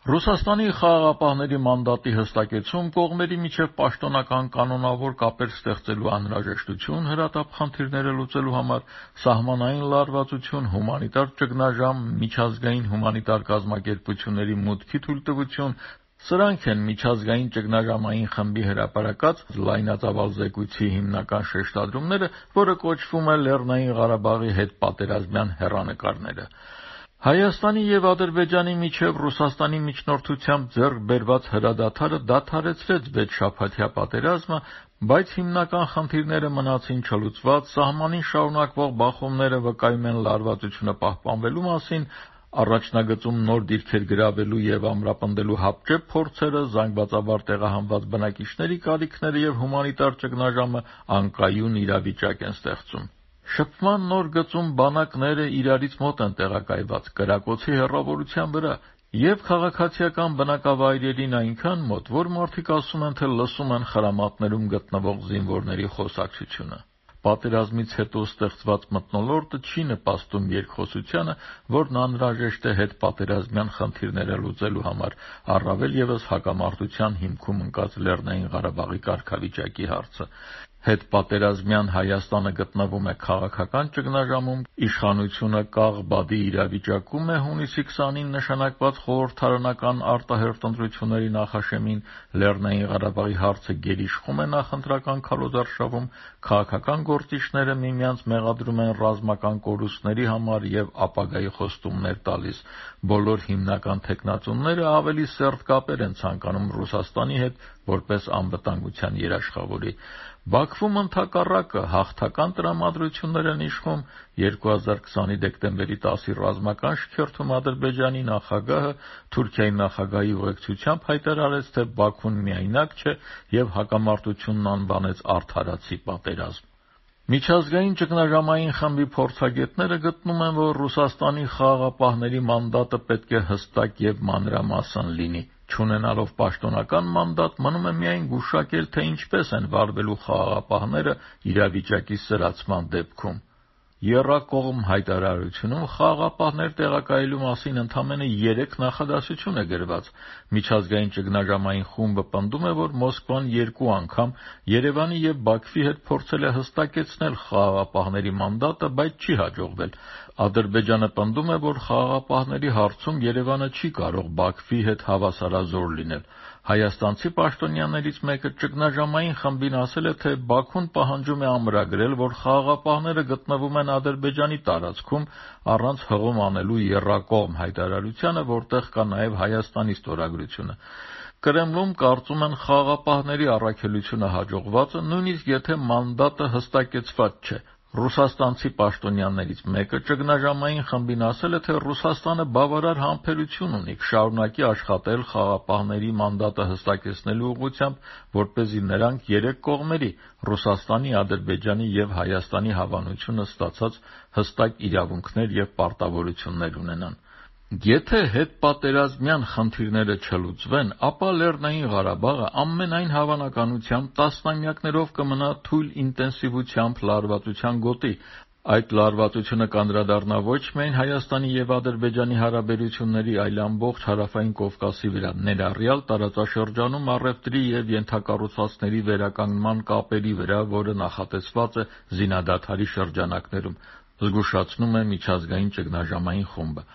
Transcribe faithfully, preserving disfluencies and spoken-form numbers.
Ռուսաստանի խաղաղապահների մանդատի հստակեցում, կողմերի միջև պաշտոնական կանոնավոր կապեր ստեղծելու անհրաժեշտություն, հրատապ խնդիրները լուծելու համար, սահմանային լարվածություն, հումանիտար ճգնաժամ, միջազգային հումանիտար կազմակերպությունների մուտքի թույլտվություն, սրանք են միջազգային ճգնաժամային խմբի հրապարակած լայնածավալ զեկույցի հիմնական շեշտադրումները, որը կոչվում է Լեռնային Ղարաբաղի հետպատերազմյան հեռանկարները։ Հայաստանի և Ադրբեջանի միջև Ռուսաստանի միջնորդությամբ ձեռք բերված հրադադարը դադարեցրեց վեցշաբաթյա պատերազմը, բայց հիմնական խնդիրները մնացին չլուծված, սահմանին շարունակվող բախումները վկայում են լարվածությունը պահպանվելու մասին, առաջնագծում նոր դիրքեր գրավելու և ամրապնդելու հապճեպ փորձերը, զանգվածաբար տեղահանված բնակիչների կարիքները և հումանիտար ճգնաժամը անկայուն իրավիճակ են ստեղծում։ Շփման նոր գծում բանակները իրարից մոտ են տեղակայված, կրակոցի հեռավորության վրա, և քաղաքացիական բնակավայրերին այնքան մոտ, որ մարդիկ ասում են, թե լսում են խրամատներում գտնվող զինվորների խոսակցությունը։ Պատերազմից հետո ստեղծված մթնոլորտը չի նպաստում երկխոսությանը, որն անհրաժեշտ է հետպատերազմյան խնդիրները լուծելու համար, առավել ևս հակամարտության հիմքում ընկած Լեռնային Ղարաբաղի կարգավիճակի հարցը։ Հետպատերազմյան Հայաստանը գտնվում է քաղաքական ճգնաժամում, իշխանությունը կաղ-բադի իրավիճակում է հունիսի քսանին նշանակված խորհրդարանական արտահերթ ընտրությունների նախաշեմին, Լեռնային Ղարաբաղի հարցը գերիշխում է նախընտրական քարոզարշավում, քաղաքական գործիչները միմյանց մեղադրում են ռազմական կորուստների համար և ապագայի խոստումներ տալիս։ Բոլոր հիմնական թեկնածուները ավելի սերտ կապեր են ցանկանում Ռուսաստանի հետ, որպես անվտանգության երաշխավորի։ Բաքվում ընդհակառակը հաղթական տրամադրություններ են իշխում։ երկու հազար քսանի դեկտեմբերի տասի ռազմական շքերթում Ադրբեջանի նախագահը Թուրքիայի նախագահի ուղեկցությամբ հայտարարեց, թե Բաքուն միայնակ չէ և հակամարտությունն անվանեց արդարացի պատերազմ։ Միջազգային ճգնաժամային խմբի փորձագետները գտնում են, որ Ռուսաստանի խաղաղապահների մանդատը պետք է հստակ և մանրամասն լինի։ Չունենալով պաշտոնական մանդատ, մնում է միայն գուշակել, թե ինչպես են վարվելու խաղաղապահները իրավիճակի սրացման դեպքում։ Եռակողմ հայտարարությունում խաղաղապահներ տեղակայելու մասին ընդամենը երեք նախադասություն է գրված։ Միջազգային ճգնաժամային խումբը պնդում է, որ Մոսկվան երկու անգամ Երևանի և Բաքվի հետ փորձել է հստակեցնել խաղաղապահների մանդատը, բայց չի հաջողվել։ Ադրբեջանը պնդում է, որ խաղաղապահների հարցում Երևանը չի կարող Բաքվի հետ հավասարազոր լինել։ Հայաստանցի պաշտոնյաներից մեկը ճգնաժամային խմբին ասել է, թե Բաքուն պահանջում է ամրագրել, որ խաղաղապահները գտնվում են Ադրբեջանի տարածքում առանց հղում անելու եռակողմ հայտարարությանը, որտեղ կա նաև Հայաստանի ստորագրությունը։ Կրեմլում կարծում են խաղաղապահների առաքելությունը հաջողված է, նույնիսկ եթե մանդատը հստակեցված չէ։ Ռուսաստանցի պաշտոնյաներից մեկը ճգնաժամային խմբին ասել է, թե Ռուսաստանը բավարար համբերություն ունի, կշարունակի աշխատել խաղաղապահների մանդատը հստակեցնելու ուղղությամբ, որպեսզի նրանք երեք կողմերի՝ Ռուսաստանի, Ադրբեջանի և Հայաստանի հավանությունը ստացած հստակ իրավունքներ և պարտավորություններ ունենան։ Եթե հետպատերազմյան խնդիրները չլուծվեն, ապա Լեռնային Ղարաբաղը ամենայն հավանականությամբ տասնամյակներով կմնա թույլ ինտենսիվությամբ լարվածության գոտի։ Այդ լարվածությունը կանդրադառնա ոչ միայն Հայաստանի և Ադրբեջանի հարաբերությունների, այլ ամբողջ Հարավային Կովկասի վրա, ներառյալ տարածաշրջանում առևտրի և ենթակառուցվածքների վերականգնման կապերի վրա, որը նախատեսված է զինադադարի շրջանակներում, զգուշացնում է միջազգային ճգնաժամային խումբը։